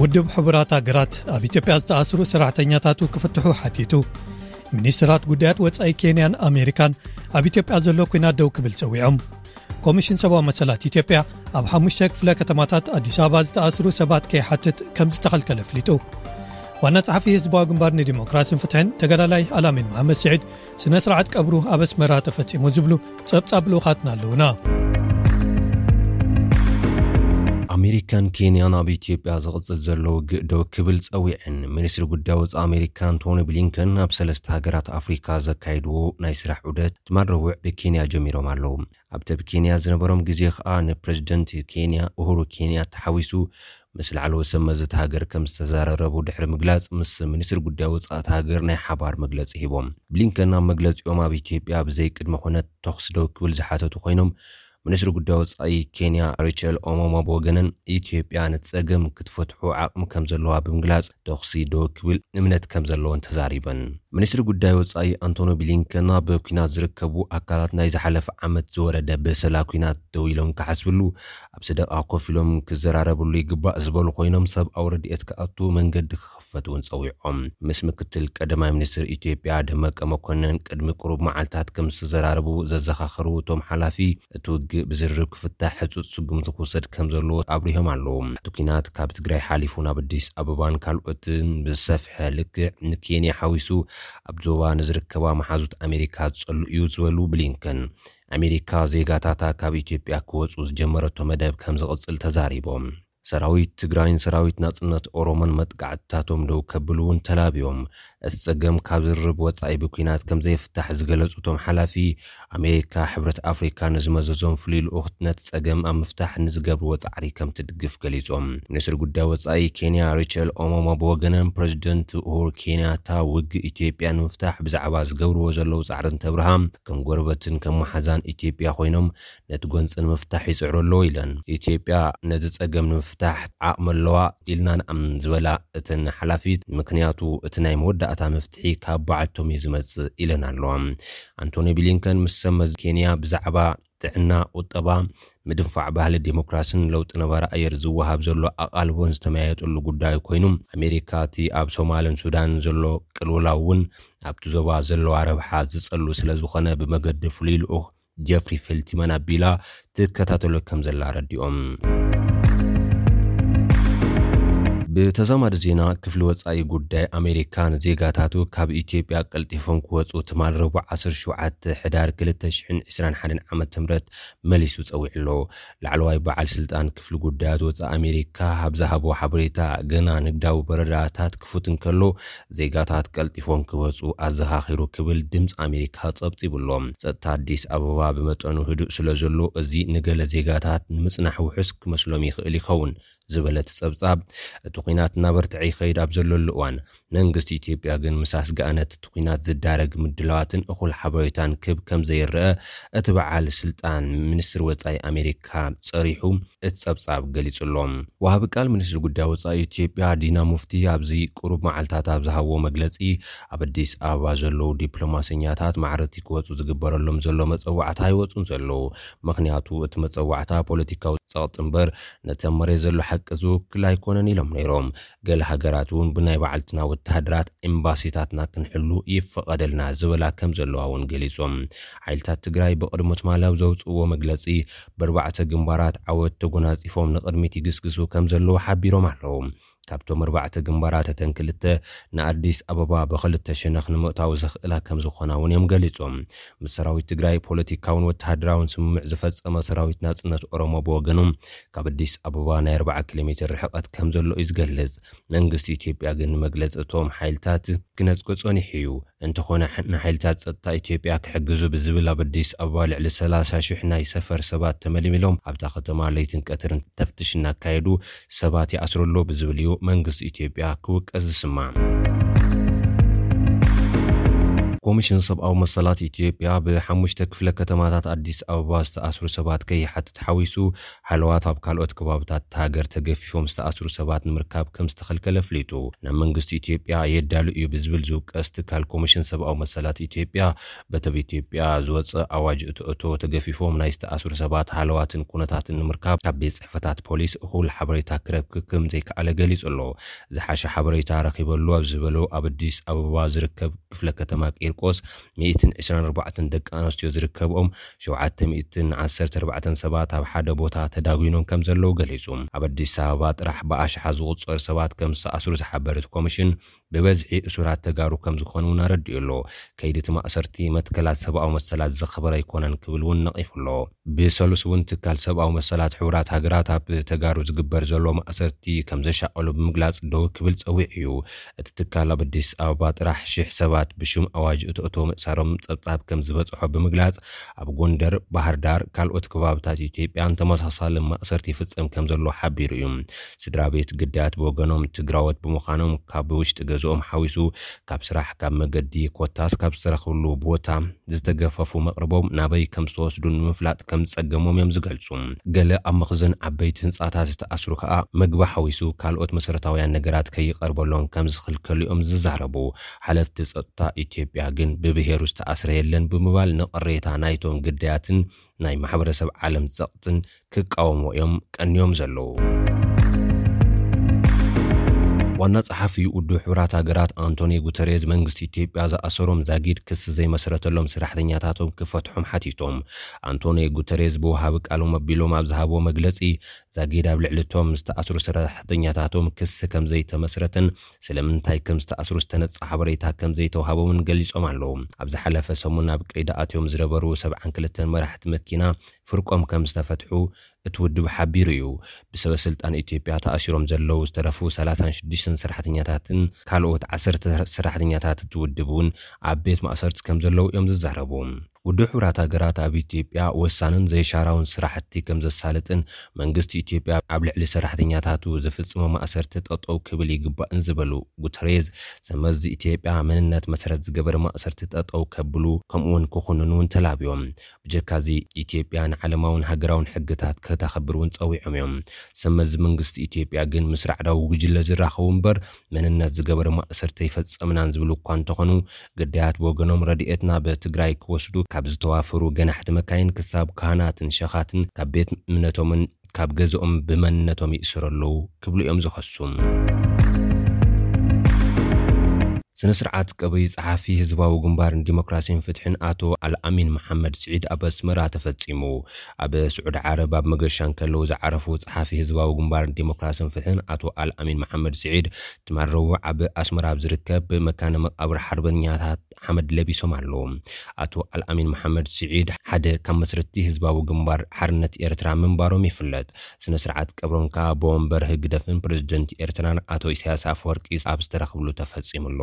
ውድብ ሕቡራት ሃገራት ኣብ ኢትዮጵያ ዝተኣስሩ ሰራሕተኛታቱ ክፍትሑ ሓቲቱ። ሚኒስትራት ጉዳያት ወጻኢ ኬንያን ኣሜሪካን ኣብ ኢትዮጵያ ዘሎ ኲናት ደው ክብል ጸዊዖም። ኮሚሽን ሰብኣዊ መሰላት ኢትዮጵያ ኣብ ሓሙሽተ ክፍለ ከተማታት ኣዲስ ኣበባ ዝተኣስሩ ሰባት ከይሓትት ከም ዝተኸልከለ ኣፍሊጡ። ዋና ጸሓፊ ህዝባዊ ግንባር ንዲሞክራስን ፍትሕን ተጋዳላይ ኣላሚን መሓመድ ስዒድ ስነ ስርዓት ቀብሩ ኣብ ኣስመራ ተፈጺሙ ዝብሉ ጸብጻብ ልኡኻትና ኣለዉና። ኣሜሪካን ኬንያን ኣብ ኢትዮጵያ ዝቕጽል ዘሎ ውግእ ደው ክብል ጸዊዐን። ሚኒስትሪ ጉዳይ ወጻኢ ኣሜሪካ ኣንቶኒ ብሊንከን ኣብ ሰለስተ ሃገራት ኣፍሪካ ዘካየድዎ ናይ ስራሕ ዑደት ትማል ረቡዕ ብኬንያ ጀሚሮም ኣለዉ። ኣብቲ ኣብ ኬንያ ዝነበሮም ግዜ ከኣ ንፕረዚደንት ኬንያ ኡሁሩ ኬንያታ ሓዊሱ ምስ ላዕለዎት ሰብ መዚ እታ ሃገር ከም ዝተዘራረቡ ድሕሪ ምግላጽ፣ ምስ ሚኒስትሪ ጉዳይ ወጻኢ እታ ሃገር ናይ ሓባር መግለጺ ሂቦም። ብሊንከን ኣብ መግለጺኦም ኣብ ኢትዮጵያ ብዘይ ቅድመ ኩነት ተኹሲ ደው ክብል ዝሓተቱ ኮይኖም፣ ሚኒስትሪ ጉዳይ ወጻኢ ኬንያ ሪቸል ኦሞማ ብወገነን ኢትዮጵያ ነቲ ጸገም ክትፈትሑ ዓቕሚ ከም ዘለዋ ብምግላጽ ተኹሲ ደው ክብል እምነት ከም ዘለወን ተዛሪበን። ሚኒስትሪ ጉዳይ ወጻኢ ኣንቶኒ ብሊንከን ኣብ ኲናት ዝርከቡ ኣካላት ናይ ዝሓለፈ ዓመት ዝወረደ በሰላ ኲናት ደው ኢሎም ክሓስብሉ፣ ኣብ ሰደቓ ኮፍ ኢሎም ክዘራረብሉ ይግባእ ዝበሉ ኮይኖም፣ ሰብኣዊ ረድኤት ክኣቱ መንገዲ ክኽፈት እውን ጸዊዖም። ምስ ምክትል ቀዳማይ ሚኒስትር ኢትዮጵያ ደመቀ መኮነን ቅድሚ ቁሩብ መዓልታት ከም ዝተዘራረቡ ዘዘኻኸሩ እቶም ሓላፊ፣ እቲ ውግእ ብዝርርብ ክፍታሕ ህጹጽ ስጉምቲ ክውሰድ ከም ዘለዎ ኣብሪሆም ኣለዉ። እቲ ኲናት ካብ ትግራይ ሓሊፉ ናብ ኣዲስ ኣበባን ካልኦትን ብዝሰፍሐ ልክዕ ንኬንያ ሓዊሱ ኣብ ዞባ ንዝርከባ መሓዙት ኣሜሪካ ዝጸሉ እዩ ዝበሉ ብሊንከን፣ ኣሜሪካ ዜጋታታ ካብ ኢትዮጵያ ክወጹ ዝጀመረቶ መደብ ከም ዝቕጽል ተዛሪቦም። ሰራዊት ትግራይን ሰራዊት ናጽነት ኦሮሞን መጥቃዕትታቶም ደው ከብሉ እውን ተላብዮም። እቲ ጸገም ካብ ዝርርብ ወጻኢ ብኲናት ከም ዘይፍታሕ ዝገለጹ እቶም ሓላፊ፣ ኣሜሪካ ሕብረት ኣፍሪካ ንዝመዘዞም ፍሉይ ልኡኽ ነቲ ጸገም ኣብ ምፍታሕ ንዝገብርዎ ጻዕሪ ከም ትድግፍ ገሊጾም። ሚኒስትሪ ጉዳይ ወጻኢ ኬንያ ሪቸል ኦሞማ ብወገነን፣ ፕረዚደንት ኡሁሩ ኬንያታ ውግእ ኢትዮጵያ ንምፍታሕ ብዛዕባ ዝገብርዎ ዘለዉ ጻዕሪ እንተብርሃ፣ ከም ጎረበትን ከም መሓዛን ኢትዮጵያ ኮይኖም ነቲ ጎንጺ ንምፍታሕ ይጽዕሩ ኣለዉ ኢለን። ኢትዮጵያ ነዚ ጸገም ንምፍታሕ ዓቕሚ ኣለዋ ኢልና ንኣምን ዝበላ እተን ሓላፊት፣ ምክንያቱ እቲ ናይ መወዳእታ መፍትሒ ካብ በዓልቶም እዩ ዝመጽእ ኢለን ኣለዋ። ኣንቶኒ ብሊንከን ምስ ሰብ መዚ ኬንያ ብዛዕባ ጥዕና፣ ቁጠባ፣ ምድንፋዕ ባህሊ ዴሞክራሲን ለውጢ ነባሪ ኣየር ዝወሃብ ዘሎ ኣቓልቦን ዝተመያየጠሉ ጉዳይ ኮይኑ፣ ኣሜሪካ እቲ ኣብ ሶማልን ሱዳንን ዘሎ ቅልውላው እውን ኣብቲ ዞባ ዘለዋ ረብሓ ዝጸሉ ስለ ዝኾነ ብመገዲ ፍሉይ ልኡኽ ጀፍሪ ፌልትማን ኣቢላ ትከታተሎ ከም ዘላ ኣረዲኦም። ብተዛማዲ ዜና፣ ክፍሊ ወጻኢ ጉዳይ ኣሜሪካ ንዜጋታቱ ካብ ኢትዮጵያ ቀልጢፎም ክወጹ ትማል ረቡዕ ዓሰርተ ሸውዓተ ሕዳር ክልተ ሽሕን ዕስራን ሓደን ዓመተ ምህረት መሊሱ ጸዊዑ ኣሎ። ላዕለዋይ በዓል ስልጣን ክፍሊ ጉዳያት ወጻኢ ኣሜሪካ ኣብ ዝሃቦ ሓበሬታ፣ ገና ንግዳዊ በረራታት ክፉት እንከሎ ዜጋታት ቀልጢፎም ክወጹ ኣዘኻኺሩ ክብል ድምፂ ኣሜሪካ ጸብጺቡ ኣሎ። ጸጥታ ኣዲስ ኣበባ ብመጠኑ ህዱእ ስለ ዘሎ እዚ ንገለ ዜጋታት ንምጽናሕ ውሑስ ክመስሎም ይኽእል ይኸውን ዝበለ እቲ ጸብጻብ፣ እቲ ኲናት እናበርትዐ ይኸይድ ኣብ ዘለሉ እዋን መንግስቲ ኢትዮጵያ ግን ምስ ኣስግኣነት እቲ ኲናት ዝዳረግ ምድላዋትን እኹል ሓበሬታን ክህብ ከም ዘይረአ እቲ በዓል ስልጣን ሚኒስትሪ ወጻኢ ኣሜሪካ ጸሪሑ እቲ ጸብጻብ ገሊጹ ኣሎ። ወሃቢ ቃል ሚኒስትሪ ጉዳይ ወጻኢ ኢትዮጵያ ዲና ሙፍቲ ኣብዚ ቁሩብ መዓልታት ኣብ ዝሃብዎ መግለጺ፣ ኣብ ኣዲስ ኣበባ ዘለዉ ዲፕሎማሰኛታት ማዕረቲ ክወጹ ዝግበረሎም ዘሎ መጸዋዕታ ኣይወጹን ዘለዉ። ምኽንያቱ እቲ መጸዋዕታ ፖለቲካዊ ጸቕጢ እምበር ነቲ ኣብ መሬት ዘሎ ሓቂ ዝውክል ኣይኮነን ኢሎም ነይሮም። ገለ ሃገራት እውን ብናይ ባዕልትና ወተሃደራት ኤምባሲታትና ክንሕሉ ይፈቐደልና ዝበላ ከም ዘለዋ እውን ገሊጾም። ሓይልታት ትግራይ ብቕድሚ ትማሊ ኣብ ዘውፅእዎ መግለፂ፣ ብኣርባዕተ ግንባራት ዓወት ተጎናፂፎም ንቕድሚት ይግስግሱ ከም ዘለዉ ሓቢሮም ኣለዉ። ካብቶም ኣርባዕተ ግንባራት እተን ክልተ ንኣዲስ ኣበባ ብኽልተ ሸነኽ ንምእታው ዘኽእላ ከም ዝኾና እውን እዮም ገሊጾም። ምስ ሰራዊት ትግራይ ፖለቲካውን ወተሃደራውን ስምምዕ ዝፈጸመ ሰራዊት ናጽነት ኦሮሞ ብወገኑ፣ ካብ ኣዲስ ኣበባ ናይ ኣርብዓ ኪሎ ሜትር ርሕቀት ከም ዘሎ እዩ ዝገልጽ። መንግስቲ ኢትዮጵያ ግን ንመግለጺ እቶም ሓይልታት ክነጽጎ ጸኒሑ እዩ። እንተኾነ፣ ሕ-፣ ንሓይልታት ጸጥታ ኢትዮጵያ ክሕግዙ ብዝብል ኣብ ኣዲስ ኣበባ ልዕሊ ሰላሳ ሽሕ ናይ ሰፈር ሰባት ተመልሚሎም ኣብታ ከተማ ለይትን ቀትርን ተፍትሽ እናካየዱ ሰባት ይኣስሩ ኣሎ ብዝብል እዩ መንግስቲ ኢትዮጵያ ክውቀስ ዝስማዕ። ኮሚሽን ሰብኣዊ መሰላት ኢትዮጵያ ብሓሙሽተ ክፍለ ከተማታት ኣዲስ ኣበባ ዝተኣስሩ ሰባት ከይሓትት ሓዊሱ፣ ሃለዋት ኣብ ካልኦት ከባብታት እታ ሃገር ተገፊፎም ዝተኣስሩ ሰባት ንምርካብ ከም ዝተኸልከለ ኣፍሊጡ። ናብ መንግስቲ ኢትዮጵያ የዳሉ እዩ ብዝብል ዝውቀስ ትካል ኮሚሽን ሰብኣዊ መሰላት ኢትዮጵያ፣ በቲ ኣብ ኢትዮጵያ ዝወፀ ኣዋጅ እቶ እቶ ተገፊፎም ናይ ዝተኣስሩ ሰባት ሃለዋትን ኩነታትን ንምርካብ ካብ ቤት ጽሕፈታት ፖሊስ እኹል ሓበሬታ ክረክብ ከም ዘይከኣለ ገሊጹ ኣሎ። ዝሓሸ ሓበሬታ ረኺበሉ ኣብ ዝበሎ ኣብ ኣዲስ ኣበባ ዝርከብ ክፍለ ከተማ ቂርቆስ ሚእትን ዕስራን ኣርባዕተን ደቂ ኣንስትዮ ዝርከብኦም ሸውዓተ ሚእትን ዓሰርተ ኣርባዕተን ሰባት ኣብ ሓደ ቦታ ተዳጒኖም ከም ዘለዉ ገሊጹ። ኣብ ኣዲስ ኣበባ ጥራሕ ብኣሽሓ ዝቑጸሩ ሰባት ከም ዝተኣስሩ ዝሓበረ እቲ ኮሚሽን፣ ብበዝሒ እሱራት ተጋሩ ከም ዝኾኑ እውን ኣረዲኡ ኣሎ። ከይዲ እቲ ማእሰርቲ መትከላት ሰብኣዊ መሰላት ዘኽብር ኣይኮነን ክብል እውን ነቒፉ ኣሎ። ብሰሉስ እውን ትካል ሰብኣዊ መሰላት ሕቡራት ሃገራት ኣብ ተጋሩ ዝግበር ዘሎ ማእሰርቲ ከም ዘሻቐሎ ብምግላጽ ደው ክብል ጸዊዑ እዩ። እቲ ትካል ኣብ ኣዲስ ኣበባ ጥራሕ ሽሕ ሰባት ብሽም ኣዋጅ እቶ እቶ ምእሳሮም ጸብጻብ ከም ዝበጽሖ ብምግላጽ፣ ኣብ ጎንደር፣ ባህር ዳር፣ ካልኦት ከባብታት ኢትዮጵያን ተመሳሳሊ ማእሰርቲ ይፍጸም ከም ዘሎ ሓቢሩ እዩ። ስድራ ቤት ግዳያት ብወገኖም ትግራዎት ብምዃኖም ካብ ውሽጢ ገዝኦም ሓዊሱ ካብ ስራሕ፣ ካብ መገዲ ኮታስ ካብ ዝተረኽብሉ ቦታ ዝተገፈፉ መቕርቦም ናበይ ከም ዝተወስዱ ንምፍላጥ ከም ዝጸገሞም እዮም ዝገልጹ። ገለ ኣብ መኽዘን ዓበይቲ ህንጻታት ዝተኣስሩ ከኣ ምግቢ ሓዊሱ ካልኦት መሰረታውያን ነገራት ከይቐርበሎም ከም ዝኽልከሉ እዮም ዝዛረቡ። ሓለፍቲ ጸጥታ ኢትዮጵያ ግን ብብሄሩ ዝተኣስረ የለን ብምባል ንቕሬታ ናይቶም ግዳያትን ናይ ማሕበረሰብ ዓለም ጸቕጥን ክቃወሙ እዮም ቀንዮም ዘለዉ። ዋና ጸሓፊ ውድብ ሕቡራት ሃገራት ኣንቶኒዮ ጉተሬዝ መንግስቲ ኢትዮጵያ ዝኣሰሮም ዛጊድ ክሲ ዘይመስረተሎም ሰራሕተኛታቶም ክፈትሖም ሓቲቶም። ኣንቶኒዮ ጉተሬዝ ብወሃቢ ቃሎም ኣቢሎም ኣብ ዝሃብዎ መግለጺ፣ ዛጊድ ኣብ ልዕሊ እቶም ዝተኣስሩ ሰራሕተኛታቶም ክሲ ከም ዘይተመስረተን ስለምንታይ ከም ዝተኣስሩ ዝተነጸ ሓበሬታ ከም ዘይተዋሃቦምን ገሊጾም ኣለዉ። ኣብ ዝሓለፈ ሰሙን ኣብ ቀይዲ ኣትዮም ዝነበሩ ሰብዓን ክልተን መራሕቲ መኪና ፍርቆም ከም ዝተፈትሑ እቲ ውድብ ሓቢሩ እዩ። ብሰበ ስልጣን ኢትዮጵያ ተኣሲሮም ዘለዉ ዝተረፉ ሰላሳን ሽዱሽተን ሰራሕተኛታትን ካልኦት ዓሰርተ ሰራሕተኛታት እቲ ውድብ እውን ኣብ ቤት ማእሰርቲ ከም ዘለዉ እዮም ዝዛረቡ። ውድብ ሕቡራት ሃገራት ኣብ ኢትዮጵያ ወሳንን ዘይሻራውን ስራሕቲ ከም ዘሳልጥን መንግስቲ ኢትዮጵያ ኣብ ልዕሊ ሰራሕተኛታቱ ዝፍጽሞ ማእሰርቲ ጠጠው ክብል ይግባእን ዝበሉ ጉተሬዝ፣ ሰመዚ ኢትዮጵያ መንነት መሰረት ዝገበረ ማእሰርቲ ጠጠው ከብሉ ከምኡውን ክኹንኑ እውን ተላብዮም። ብጀካዚ ኢትዮጵያ ንዓለማውን ሃገራውን ሕግታት ከተኽብር እውን ጸዊዖም እዮም። ሰመዚ መንግስቲ ኢትዮጵያ ግን ምስ ራዕዳዊ ጉጅለ ዝራኸቡ እምበር መንነት ዝገበረ ማእሰርቲ ኣይፈጸምናን ዝብሉ እኳ እንተኾኑ፣ ግዳያት ብወገኖም ረድኤት ናብ ትግራይ ክወስዱ ካብ ዝተዋፈሩ ገናሕቲ መካይን ክሳብ ካህናትን ሸኻትን ካብ ቤት እምነቶምን ካብ ገዝኦም ብመንነቶም ይእሰሩ ኣለዉ ክብሉ እዮም ዝኸሱ። ስነ ስርዓት ቀብሪ ጸሓፊ ህዝባዊ ግንባርን ዲሞክራሲን ፍትሕን ኣቶ ኣልኣሚን መሓመድ ስዒድ ኣብ ኣስመራ ተፈጺሙ። ኣብ ስዑዲ ዓረብ ኣብ መገሻ እንከለዉ ዝዓረፉ ጸሓፊ ህዝባዊ ግንባርን ዲሞክራሲን ፍትሕን ኣቶ ኣልኣሚን መሓመድ ስዒድ ትማል ረቡዕ ኣብ ኣስመራ ኣብ ዝርከብ መካነ መቃብር ሓርበኛታት ሓመድ ለቢሶም ኣለዉ። ኣቶ ኣልኣሚን መሓመድ ስዒድ ሓደ ካብ መስረትቲ ህዝባዊ ግንባር ሓርነት ኤርትራ ምንባሮም ይፍለጥ። ስነ ስርዓት ቀብሮም ከኣ ብወንበር ህግደፍን ፕረዚደንት ኤርትራን ኣቶ ኢሳያስ ኣፈወርቂ ኣብ ዝተረኽብሉ ተፈጺሙ ኣሎ።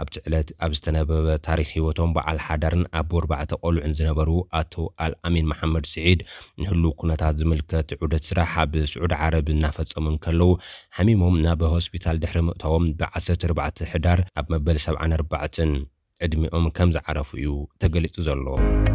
ኣብቲ ዕለት ኣብ ዝተነበበ ታሪኽ ህይወቶም በዓል ሓዳርን ኣቦ ኣርባዕተ ቆልዑን ዝነበሩ ኣቶ ኣልኣሚን መሓመድ ስዒድ ንህሉው ኩነታት ዝምልከት ዑደት ስራሕ ኣብ ስዑዲ ዓረብ እናፈጸሙ እንከለዉ ሓሚሞም ናብ ሆስፒታል ድሕሪ ምእታዎም ብ ዓሰርተ ኣርባዕተ ሕዳር ኣብ መበል ሰብዓን ኣርባዕተን ዕድሚኦም ከም ዝዓረፉ እዩ ተገሊጹ ዘሎ።